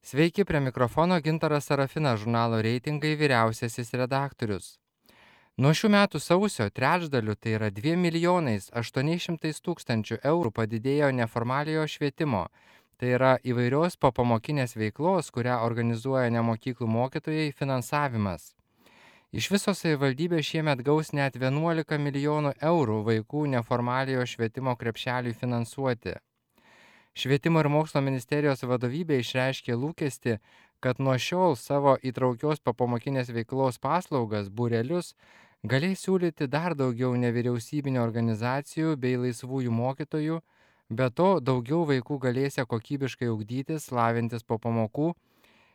Sveiki, prie mikrofono Gintaras Sarafinas, žurnalo reitingai vyriausiasis redaktorius. Nuo šių metų sausio trečdaliu, tai yra 2 800 000 eurų padidėjo neformaliojo švietimo, tai yra įvairios popamokinės veiklos, kurią organizuoja nemokyklų mokytojai, finansavimas. Iš viso savivaldybė šiemet gaus net 11 milijonų eurų vaikų neformaliojo švietimo krepšeliui finansuoti. Švietimo ir mokslo ministerijos vadovybė išreiškė lūkestį, kad nuo šiol savo įtraukios popamokinės veiklos paslaugas, būrelius, galės siūlyti dar daugiau nevyriausybinio organizacijų bei laisvųjų mokytojų, be to daugiau vaikų galėsia kokybiškai ugdytis, lavintis po pamokų,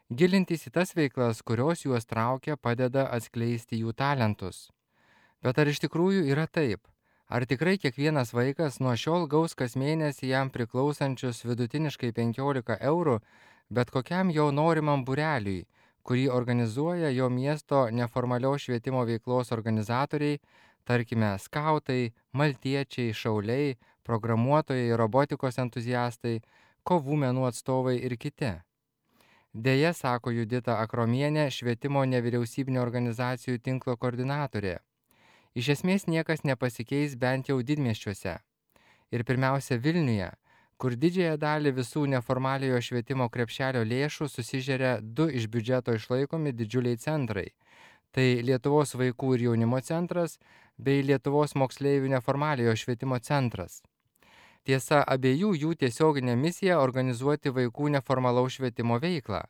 gilintis į tas veiklas, kurios juos traukia, padeda atskleisti jų talentus. Bet ar iš tikrųjų yra taip? Ar tikrai kiekvienas vaikas nuo šiol gaus kas mėnesį jam priklausančius vidutiniškai 15 eurų, bet kokiam jo norimam būreliui, kurį organizuoja jo miesto neformalios švietimo veiklos organizatoriai, tarkime, skautai, maltiečiai, šauliai, programuotojai, robotikos entuziastai, kovų menų atstovai ir kiti? Deja, sako Judita Akromienė, švietimo nevyriausybinio organizacijų tinklo koordinatorė. Iš esmės niekas nepasikeis bent jau didmiesčiuose. Ir pirmiausia Vilniuje, kur didžiąją dalį visų neformaliojo švietimo krepšelio lėšų susižeria du iš biudžeto išlaikomi didžiuliai centrai. Tai Lietuvos vaikų ir jaunimo centras bei Lietuvos moksleivių neformaliojo švietimo centras. Tiesa, abiejų jų tiesioginė misija organizuoti vaikų neformalaus švietimo veiklą.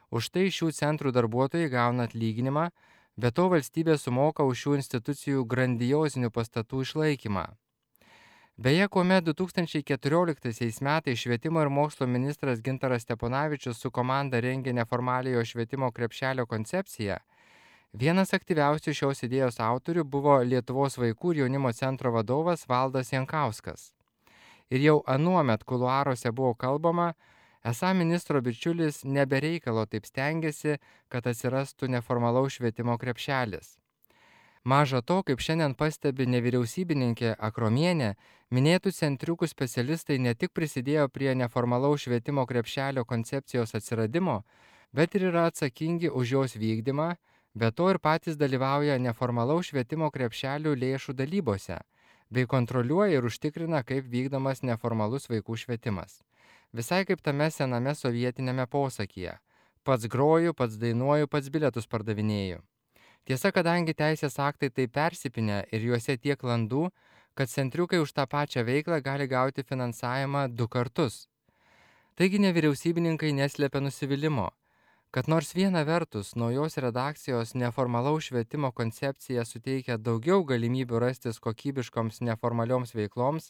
Už tai šių centrų darbuotojai gauna atlyginimą, be to valstybė sumoka už šių institucijų grandiozinių pastatų išlaikymą. Beje, kuomet 2014 metais švietimo ir mokslo ministras Gintaras Steponavičius su komanda rengė neformaliojo švietimo krepšelio koncepciją, vienas aktyviausių šios idėjos autorių buvo Lietuvos vaikų ir jaunimo centro vadovas Valdas Jankauskas. Ir jau anuomet kuluaruose buvo kalbama, esą ministro bičiulis nebereikalo taip stengiasi, kad atsirastų neformalaus švietimo krepšelis. Maža to, kaip šiandien pastebi nevyriausybininkė Akromienė, minėtų centriukų specialistai ne tik prisidėjo prie neformalaus švietimo krepšelio koncepcijos atsiradimo, bet ir yra atsakingi už jos vykdymą, be to ir patys dalyvauja neformalaus švietimo krepšelių lėšų dalybose, bei kontroliuoja ir užtikrina, kaip vykdomas neformalus vaikų švietimas. Visai kaip tame sename sovietinėme posakyje. Pats groju, pats dainuoju, pats bilietus pardavinėju. Tiesa, kadangi teisės aktai tai persipinę ir juose tiek landų, kad centriukai už tą pačią veiklą gali gauti finansavimą 2 kartus. Taigi nevyriausybininkai neslėpia nusivylimo, kad nors viena vertus naujos redakcijos neformalaus švietimo koncepcija suteikia daugiau galimybių rastis kokybiškoms neformalioms veikloms,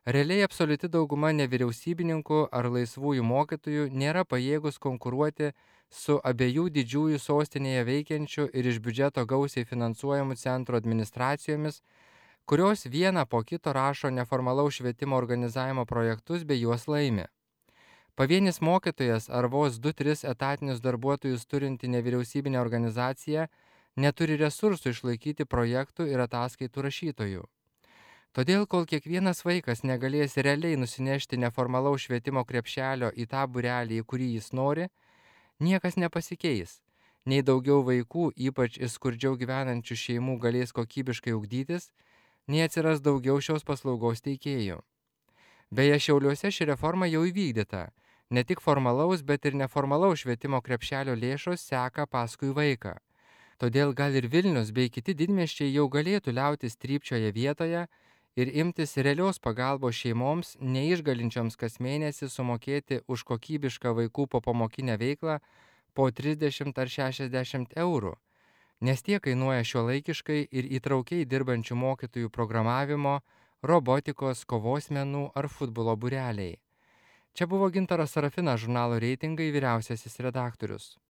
realiai absoliuti dauguma nevyriausybininkų ar laisvųjų mokytojų nėra pajėgus konkuruoti su abiejų didžiųjų sostinėje veikiančių ir iš biudžeto gausiai finansuojamų centrų administracijomis, kurios vieną po kito rašo neformalaus švietimo organizavimo projektus bei juos laimi. Pavienis mokytojas ar vos 2-3 etatinius darbuotojus turinti nevyriausybinė organizacija neturi resursų išlaikyti projektų ir ataskaitų rašytojų. Todėl, kol kiekvienas vaikas negalės realiai nusinešti neformalaus švietimo krepšelio į tą būrelį, į kurį jis nori, niekas nepasikeis. Nei daugiau vaikų, ypač iš skurdžiau gyvenančių šeimų, galės kokybiškai ugdytis, nei atsiras daugiau šios paslaugos teikėjų. Beje, Šiauliuose ši reforma jau įvykdyta. Ne tik formalaus, bet ir neformalaus švietimo krepšelio lėšos seka paskui vaiką. Todėl gal ir Vilnius bei kiti didmiesčiai jau galėtų liautis trypčioje vietoje ir imtis realios pagalbos šeimoms, neišgalinčioms kas mėnesį sumokėti už kokybišką vaikų popamokinę veiklą po 30 ar 60 eurų, nes tie kainuoja šiuolaikiškai ir įtraukiai dirbančių mokytojų programavimo, robotikos, kovos menų ar futbolo būreliai. Čia buvo Gintaras Sarafinas, žurnalo reitingai vyriausiasis redaktorius.